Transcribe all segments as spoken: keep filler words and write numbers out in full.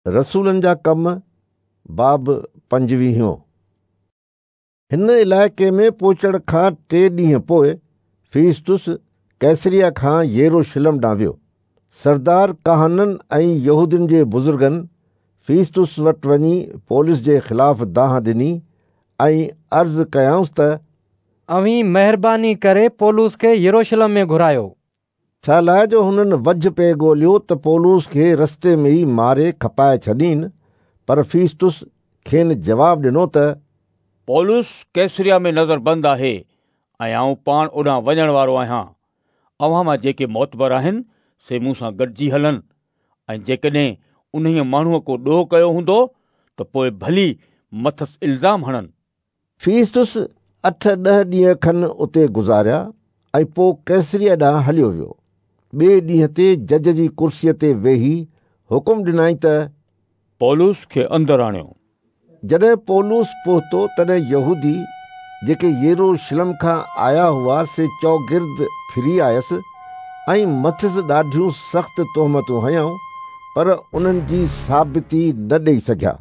रसूलनि जा कम बाब पंजवीहों। हिन इलाइक़े में पहुचण खां टे ॾींहं पोइ फीस्तुस कैसरिया खां यरूशलेम ॾांहुं वियो। सरदार काहननि ऐं यहूदियुनि जे बुज़ुर्गनि फीस्तुस वटि वञी पौलुस जे ख़िलाफ़ दांह ॾिनी ऐं अर्ज़ु कयाउंसि त अव्हीं महिरबानी करे पौलुस खे यरूशलेम में घुरायो, छा लाइ जो हुननि वजह पे ॻोल्हियो त पौलुस खे रस्ते में ई मारे खपाए छॾीनि। पर फीस्तुस खेनि जवाबु ॾिनो त पौलुस कैसरिया में नज़रबंद आहे ऐं आउं पाण ओॾां वञण वारो आहियां। अव्हां मां जेके मोतबर आहिनि से मूं सां गॾिजी हलनि ऐं जेकॾहिं उन्हीअ माण्हूअ को ॾोह कयो हूंदो त पोइ भली मथसि इल्ज़ाम हणनि। फीस्तुस अठ ॾह ॾींहं खनि उते गुज़ारिया ऐं पोइ कैसरिया ॾांहुं हलियो वियो। ॿिए ॾींहं ते जज जी कुर्सीअ ते वेही हुकुम ॾिनई त पौलुस खे अंदरि आणियो। जॾहिं पौलुस पहुतो तॾहिं यहूदी जेके यरूशलेम खां आया हुआ से चौगिर्द फिरी आयसि ऐं मथसि ॾाढियूं सख़्तु तोहमतूं हयाऊं, पर उन्हनि जी साबिती न ॾेई सघिया।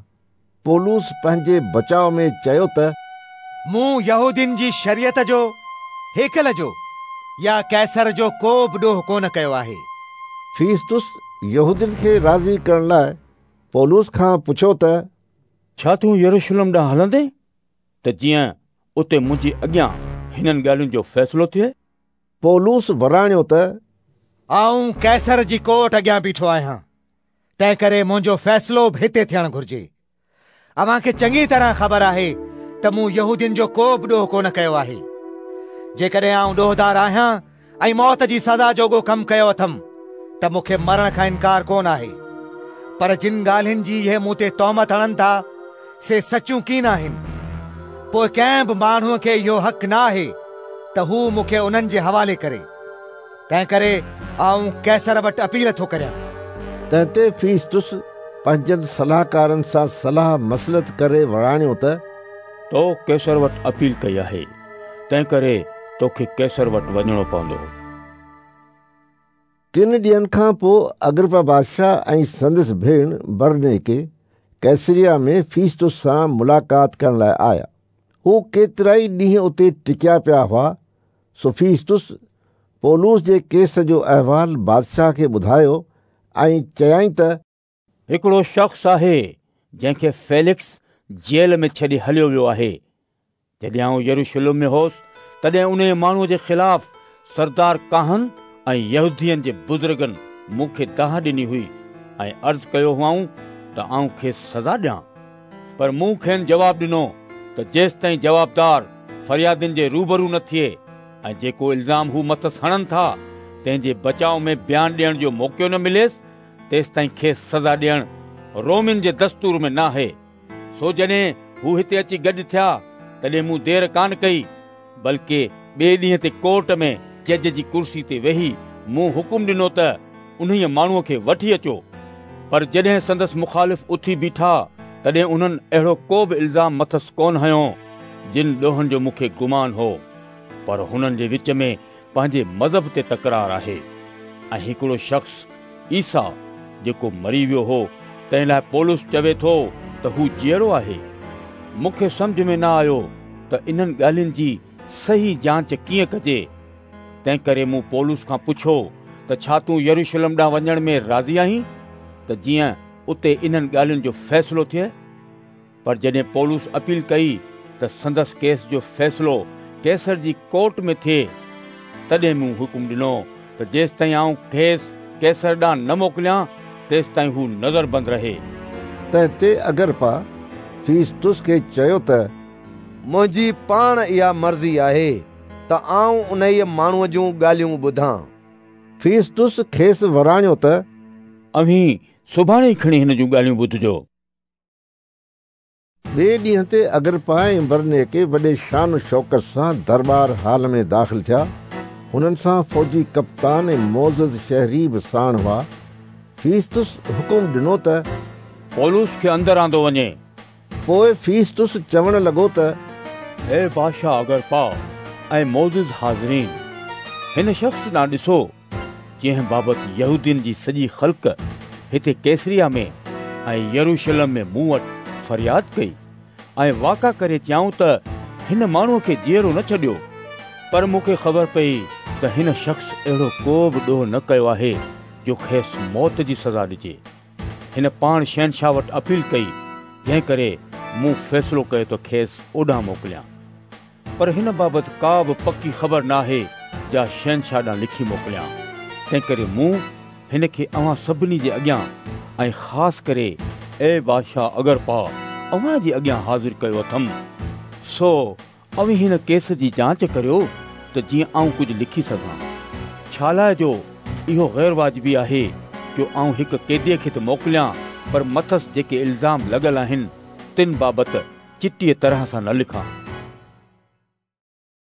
पौलुस पंहिंजे बचाव में चयो त मूं यहूदियुनि जी शरीयत जो, हेकल जो या कैसर जो को बि ॾोह कोन कयो आहे। फीस्तुस यहूदियुनि खे राज़ी करण लाइ पौलुस खां पुछियो त छा तूं यरूशलेम ॾांहुं हलंदे त जीअं उते मुंहिंजी अॻियां हिननि ॻाल्हियुनि जो फ़ैसिलो थिए? पौलुस वराणियो त आउं कैसर जी कोर्ट अॻियां बीठो आहियां, तंहिं करे मुंहिंजो फ़ैसिलो बि हिते थियणु घुरिजे। अव्हांखे चङी तरह ख़बर आहे त मूं यहूदियुनि जो को बि ॾोह कोन कयो आहे। जेकॾहिं आउं ॾोहदार आहियां ऐं मौत जी सज़ा जोॻो कमु कयो अथमि त मूंखे मरण खां इनकार कोन आहे, पर जिन ॻाल्हियुनि जी इहे मूं ते तोहमत हणनि था से सचियूं कीन आहिनि। पोइ कंहिं बि माण्हूअ खे इहो हक़ न आहे त हू मूंखे उन्हनि जे हवाले करे, तंहिं करे आउं कैसर वटि अपील थो करियां। तंहिं ते फीस्तुस पंहिंजनि सलाहकारनि सां सलाह मसलत करे वराणियो त तो कैसर वटि अपील कई आहे, तंहिं करे तोखे कैसर वटि वञिणो पवंदो। किन ॾींहनि खां पोइ अग्रिपा बादशाह ऐं संदसि भेण बरनेके कैसरिया में फीस्तुस सां मुलाक़ात करण लाइ आया। हू केतिरा ई ॾींहं उते टिकिया पिया हुआ। सो फीस्तुस पौलुस जे केस जो अहवाल बादशाह खे ॿुधायो ऐं चयाईं त हिकिड़ो शख़्स आहे जंहिंखे फेलिक्स जेल में छॾे हलियो वियो आहे। जॾहिं आउं यरूशलेम में होसि तॾहिं उन माण्हूअ जे ख़िलाफ़ सरदार काहन ऐं यहूदियुनि जे बुज़ुर्गनि मूंखे दाह ॾिनी हुई ऐं अर्ज़ु कयो हुआऊं त आउं खेसि सज़ा ॾियां, पर मूं खेनि जवाबु ॾिनो त जेसिताईं जवाबदार फरियादियुनि जे रूबरू न थिए ऐं जेको इल्ज़ाम हू मथसि हणनि था तंहिंजे बचाव में बयान ॾियण जो मौक़ो न मिलेसि तेसिताईं खेसि सज़ा ॾियणु रोमिन जे दस्तूर में न आहे। सो जॾहिं हू हिते अची गॾु थिया तॾहिं मूं देरि कान कई, बल्कि ॿिए ॾींहं ते कोर्ट में जज जी कुर्सी ते वेही मूं हुकुम ॾिनो त उन्हीअ माण्हूअ खे वठी अचो। पर जॾहिं संदसि मुखालिफ़ उथी बीठा तॾहिं उन्हनि अहिड़ो को बि इल्ज़ाम मथसि कोन हयो जिन ॾोहनि जो मूंखे गुमान हो, पर हुननि जे विच में पंहिंजे मज़हब ते तकरार आहे ऐं हिकिड़ो शख़्स ईसा जेको मरी वियो हो तंहिं लाइ पौलुस चवे थो त हू जीअरो आहे। मूंखे सम्झ में न आयो त इन्हनि ॻाल्हियुनि जी सही जांच कीअं कजे, तंहिं करे मूं पौलुस खां पुछियो त छा तूं यरूशलेम ॾांहुं वञण में राज़ी आहीं त जीअं उते इन्हनि ॻाल्हियुनि जो फ़ैसिलो थिए? पर जॾहिं पौलुस अपील कई त संदसि केस जो फ़ैसिलो कैसर जी कोर्ट में थिए, तॾहिं मूं हुकुम ॾिनो त जेसिताईं आउं खेसि कैसर ॾांहुं न मोकिलियां तेसिताईं हू नज़रबंद रहे। तंहिं ते अग्रिपा फीस्तुस खे चयो त मुंहिंजी पाण इहा मर्ज़ी आहे त आउं उन्हीअ माण्हूअ जूं ॻाल्हियूं ॿुधां। फीस्तुस खेसि वराणियो त अव्हीं सुभाणे ई खणी हिन जूं ॻाल्हियूं ॿुधजो। ॿिए ॾींहं ते अग्रिपा ऐं बरनेके वॾे शान शौकत सां दरबार हाल में दाख़िल थिया। हुननि सां फ़ौजी कप्तान ऐं मोज़ शहरी बि साण हुआ। फीस्तुस हुकुम ॾिनो त पौलुस खे अंदरि आंदो वञे। पोइ फीस्तुस चवण लॻो त हे बादशाह अग्रिपा ऐं मोज़ हाज़रीन, हिन शख़्स ॾांहुं ॾिसो जंहिं बाबति यहूदियुनि जी सॼी ख़ल्क हिते कैसरिया में ۽ يروشلم ۾ مون وٽ فرياد ڪئي ۽ واڪا ڪري چيائون ته هن ماڻهوءَ کي جيئرو نه ڇڏيو. پر مون کي خبر پئي ته هن شخص اهڙو ڪو به ڏوهه نه ڪيو آهي جو کيس موت جي سزا ڏجي. هن پاڻ شهنشاهه وٽ اپيل ڪئي، جنهن ڪري مون فيصلو ڪيو ته کيس اوڏانهن موڪليان. پر هن بابت ڪا به پڪي خبر نه آهي جا شهنشاهه ڏانهن لکي موڪليان. تنهن ڪري مون هن کي اوهان سڀني جي اڳيان ۽ خاص ڪري اي بادشاهه اگرپا اوهان جي اڳيان حاضر ڪيو اٿم. سو اوهين هن ڪيس جي جانچ ڪريو ته جيئن آئون ڪجهه لکي سگهان. ڇا لاءِ جو اهو غير واجبي آهي جو آئون هڪ قيديءَ کي ته موڪليان، پر مٿس جيڪي الزام لڳل آهن تن بابت چٽيءَ طرح سان نه لکان.